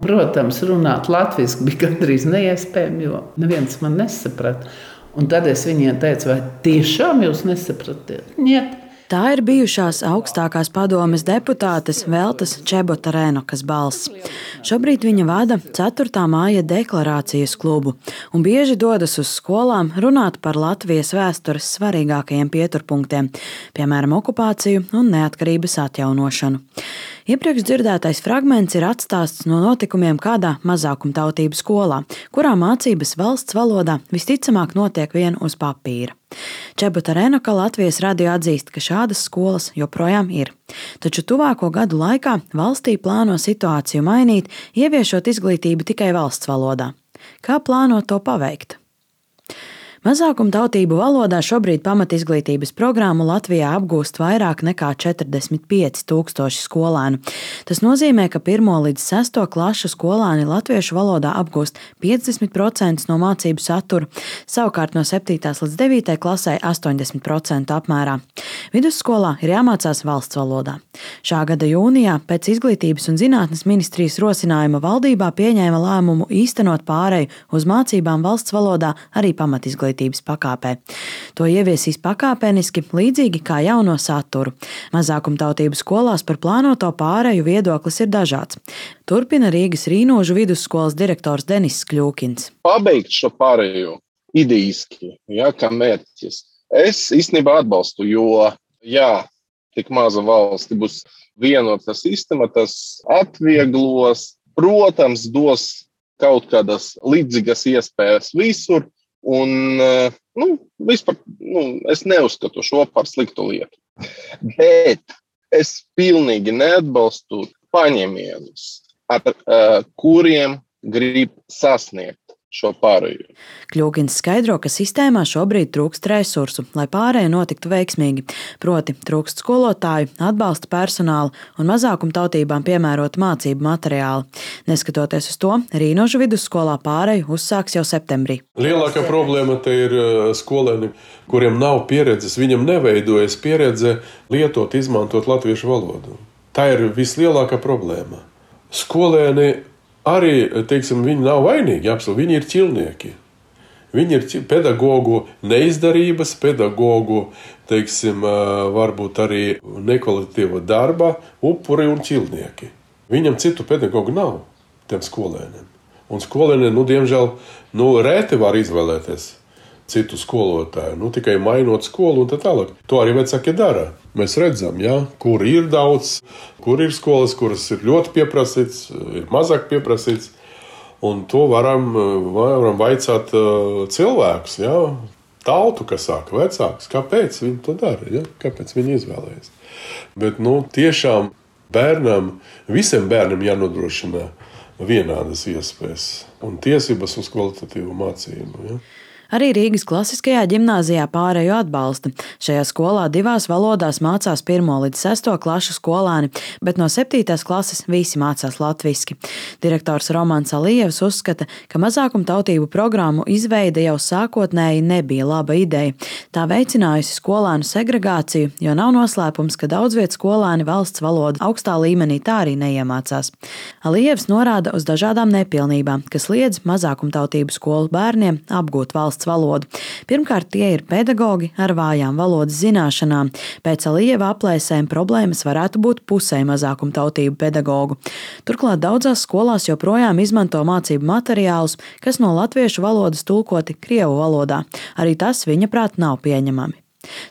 Protams, runāt latviski bija gandrīz neiespējami, jo neviens man nesaprata. Un tad es viņiem teicu, vai tiešām jūs nesapratiet? Niet. Tā ir bijušās augstākās padomes deputātes Veltas Čebotarenovas balss. Šobrīd viņa vada 4. māja deklarācijas klubu un bieži dodas uz skolām runāt par Latvijas vēstures svarīgākajiem pieturpunktiem, piemēram, okupāciju un neatkarības atjaunošanu. Iepriekš dzirdētais fragments ir atstāsts no notikumiem kādā mazākumtautību skolā, kurā mācības valsts valodā visticamāk notiek vien uz papīra. Čebotarenova Latvijas radio atzīst, ka šādas skolas joprojām ir. Taču tuvāko gadu laikā valstī plāno situāciju mainīt, ieviešot izglītību tikai valsts valodā. Kā plāno to paveikt? Mazākumtautību valodā šobrīd pamatizglītības programmu Latvijā apgūst vairāk nekā 45,000 skolēnu. Tas nozīmē, ka 1. līdz 6. klašu skolēni latviešu valodā apgūst 50% no mācību satura, savukārt no 7. līdz 9. klasē 80% apmērā. Vidusskolā ir jāmācās valsts valodā. Šā gada jūnijā pēc Izglītības un zinātnes ministrijas rosinājuma valdībā pieņēma lēmumu īstenot pāreju uz mācībām valsts valodā arī pamatizglītības pakāpē. To ieviesīs pakāpeniski, līdzīgi kā jauno saturu. Mazākumtautību skolās par plānoto pāreju viedoklis ir dažāds. Turpina Rīgas Rīnožu vidusskolas direktors Denis Kļūkins. Pabeigt šo pāreju idejiski, kā mērķis. Es īstenībā atbalstu, jo, tik maza valsti būs vienota sistēma, tas atvieglos, protams, dos kaut kādas līdzīgas iespējas visur. Un, vispār, es neuzskatu šo par sliktu lietu. Bet es pilnīgi neatbalstu paņēmienus, ar kuriem grib sasniegt šo pārēju. Kļūkins skaidro, ka sistēmā šobrīd trūkst resursu, lai pārēja notiktu veiksmīgi. Proti trūkst skolotāju, atbalsta personāla un mazākumtautībām piemērota mācību materiāli. Neskatoties uz to, Rīnožu vidusskolā pārēju uzsāks jau septembrī. Lielākā problēma te ir skolēni, kuriem nav pieredzes, viņam neveidojas pieredze lietot, izmantot latviešu valodu. Tā ir vislielākā problēma. Skolēni arī, viņi nav vainīgi, viņi ir ķilnieki. Viņi ir pedagogu neizdarības, pedagogu, varbūt arī nekvalitatīva darba upuri un ķilnieki. Viņam citu pedagogu nav, tiem skolēniem. Un skolēniem, diemžēl, rēti var izvēlēties citu skolotāju, tikai mainot skolu un tā tālāk. To arī vecāki dara. Mēs redzam, kur ir daudz, kur ir skolas, kuras ir ļoti pieprasīts, ir mazāk pieprasīts. Un to varam vaicāt cilvēkus, tautu, kas saka, vecāks, kāpēc viņi to dara, kāpēc viņi izvēlējas. Bet, tiešām visiem bērniem jānodrošina vienādas iespējas un tiesības uz kvalitatīvu mācību. Arī Rīgas klasiskajā ģimnāzijā pārēju atbalsta. Šajā skolā 2 valodās mācās 1. līdz 6. klašu skolēni, bet no 7. klases visi mācās latviski. Direktors Romans Alijevs uzskata, ka mazākumtautību programmu izveide jau sākotnēji nebija laba ideja. Tā veicinājusi skolēnu segregāciju, jo nav noslēpums, ka daudzviet skolēni valsts valodu augstā līmenī tā arī neiemācās. Alijevs norāda uz dažādām nepilnībām, kas liedz mazākumtautību skolu bērniem apgūt valsts valodu. Pirmkārt, tie ir pedagogi ar vājām valodas zināšanām. Pēc Alijeva aplēsēm problēmas varētu būt pusē mazākumtautību pedagogu. Turklāt daudzās skolās joprojām izmanto mācību materiālus, kas no latviešu valodas tulkoti krievu valodā. Arī tas, viņa prāt, nav pieņemami.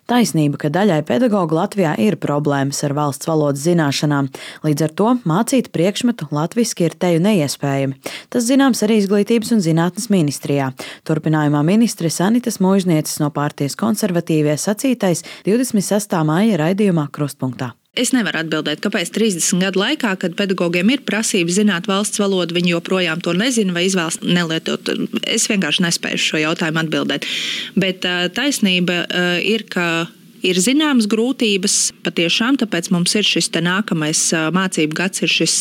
Taisnība, ka daļai pedagogu Latvijā ir problēmas ar valsts valodas zināšanām. Līdz ar to mācīt priekšmetu latviski ir teju neiespējami. Tas zināms arī Izglītības un zinātnes ministrijā. Turpinājumā ministre Sanitas Muižnieces no partijas konservatīvie sacītais 26. māja raidījumā Krustpunktā. Es nevaru atbildēt, kāpēc 30 gadu laikā, kad pedagogiem ir prasība zināt valsts valodu, viņi joprojām to nezina vai izvēlas nelietot. Es vienkārši nespēju šo jautājumu atbildēt. Bet taisnība ir, ka ir zināmas grūtības patiešām, tāpēc mums ir šis nākamais mācību gads, ir šis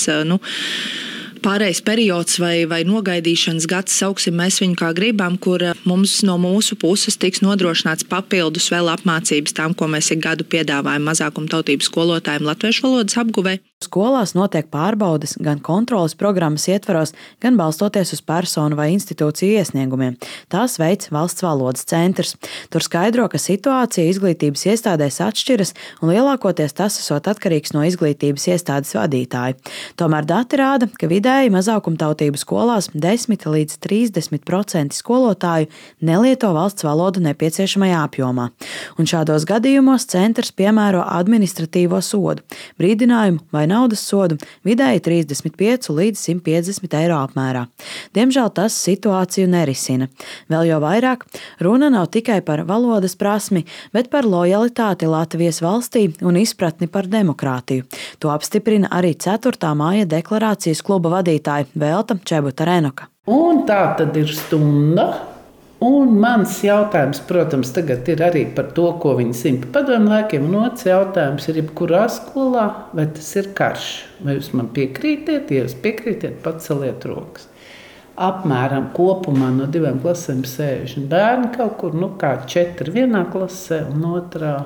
pārējais periods vai nogaidīšanas gads, sauksim mēs viņu kā gribam, kur mums no mūsu puses tiks nodrošināts papildus vēl apmācības tām, ko mēs ik gadu piedāvājam mazākumtautību skolotājiem latviešu valodas apguvē. Skolās notiek pārbaudes gan kontroles programmas ietvaros, gan balstoties uz personu vai institūciju iesniegumiem. Tās veids Valsts valodas centrs. Tur skaidro, ka situācija izglītības iestādēs atšķiras un lielākoties tas esot atkarīgs no izglītības iestādes vadītāja. Tomēr dati rāda, ka vidēji mazākumtautību skolās 10 līdz 30% skolotāju nelieto valsts valodu nepieciešamajā apjomā. Un šādos gadījumos centrs piemēro administratīvo sodu, brīdinājumu vai naudas sodu vidēji 35 līdz 150 eiro apmērā. Diemžēl tas situāciju nerisina. Vēl jau vairāk, runa nav tikai par valodas prasmi, bet par lojalitāti Latvijas valstī un izpratni par demokrātiju. To apstiprina arī 4. māja deklarācijas kluba vadītāja Velta Čebuta-Renoka. Un tā tad ir stunda. Un mans jautājums, protams, tagad ir arī par to, ko viņi zina par padomju laikiem. Un otrs jautājums ir, jebkurā skolā, vai tas ir karš? Vai jūs man piekrītiet? Ja jūs piekrītiet, paceliet rokas. Apmēram kopumā no 2 klasēm 60 bērni kaut kur, kā 4 vienā klasē un otrā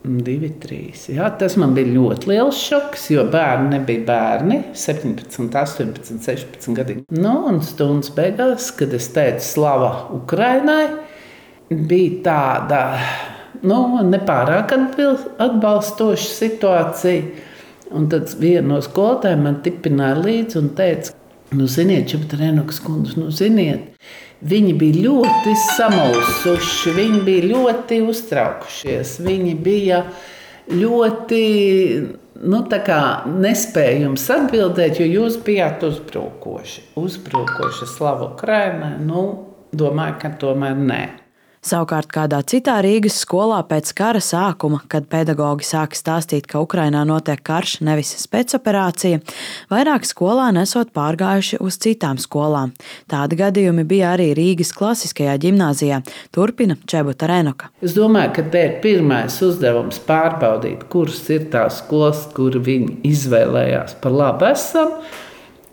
2, 3. Jā, tas man bija ļoti liels šoks, jo bērni nebija bērni, 17, 18, 16 gadi. Un stundas beigās, kad es teicu slava Ukrainai, bija tāda nepārāk atbalstoša situācija. Un tad viena no skolotājiem man tipināja līdzi un teica, ziniet, Čebuta-Renokas kundze, ziniet, viņi bija ļoti samulsuši, viņi bija ļoti uztraukušies, viņi bija ļoti nespēja jums atbildēt, jo jūs bijāt uzbrukoši slavu Ukrainai. Domāju, ka tomēr nē. Savukārt kādā citā Rīgas skolā pēc kara sākuma, kad pedagogi sāka stāstīt, ka Ukrainā notiek karš, nevis spēcoperācija, vairāk skolēni esot pārgājuši uz citām skolām. Tādi gadījumi bija arī Rīgas klasiskajā ģimnāzijā, turpina Čebuta-Renoka. Es domāju, ka te ir pirmais uzdevums pārbaudīt, kuras ir tās skolas, kur viņi izvēlējās par labu esam,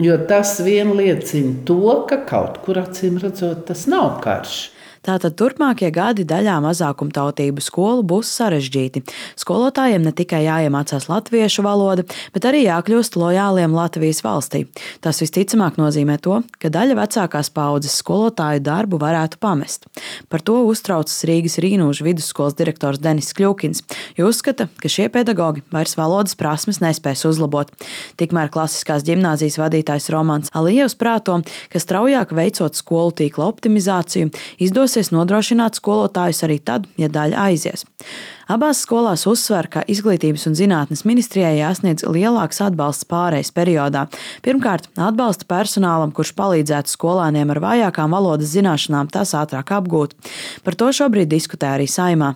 jo tas vien liecina to, ka kaut kur acīm redzot tas nav karš. Tātad turpmākie gadi daļā mazākumtautību skolu būs sarežģīti. Skolotājiem ne tikai jāiemācās latviešu valoda, bet arī jākļūst lojāliem Latvijas valstī. Tas visticamāk nozīmē to, ka daļa vecākās paaudzes skolotāju darbu varētu pamest. Par to uztraucas Rīgas Rīnūžu vidusskolas direktors Denis Kļukins, jo uzskata, ka šie pedagogi vairs valodas prasmes nespēs uzlabot. Tikmēr klasiskās ģimnāzijas vadītājs Romans Alijevs prāto, ka straujāk veicot skolu tīkla optimizāciju, izdosies nodrošināt skolotājus arī tad, ja daļa aizies. Abās skolās uzsver, ka Izglītības un zinātnes ministrijai jāsniedz lielāks atbalsts pārejas periodā. Pirmkārt, atbalsta personālam, kurš palīdzētu skolēniem ar vājākām valodas zināšanām tās ātrāk apgūt. Par to šobrīd diskutē arī Saeimā.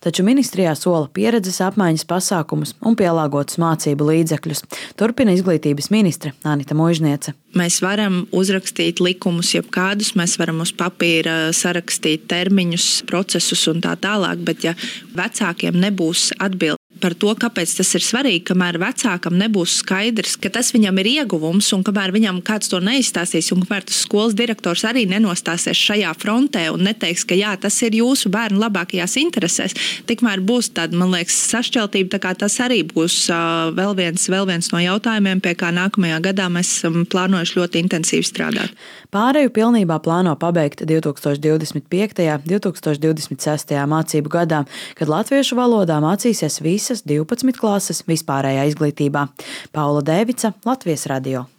Taču ministrijā sola pieredzes apmaiņas pasākumus un pielāgotus mācību līdzekļus. Turpina izglītības ministre Anita Muižniece. Mēs varam uzrakstīt likumus jebkādus, mēs varam uz papīra sarakstīt termiņus, procesus un tā tālāk, bet ja vecākiem nebūs atbildi par to, kāpēc tas ir svarīgi, kamēr vecākam nebūs skaidrs, ka tas viņam ir ieguvums un kamēr viņam kāds to neizstāstīs un kamēr tas skolas direktors arī nenostāsies šajā frontē un neteiks, ka jā, tas ir jūsu bērnu labākajās interesēs, tikmēr būs tāda, man liekas, sašķeltība, tā kā tas arī būs vēl viens no jautājumiem, pie kā nākamajā gadā mēs esam plānojuši ļoti intensīvi strādāt. Pāreju pilnībā plāno pabeigt 2025. un 2026. mācību gadā, kad latviešu valodā mācīsies visas 12 klases vispārējā izglītībā. Paula Dēvica, Latvijas radio.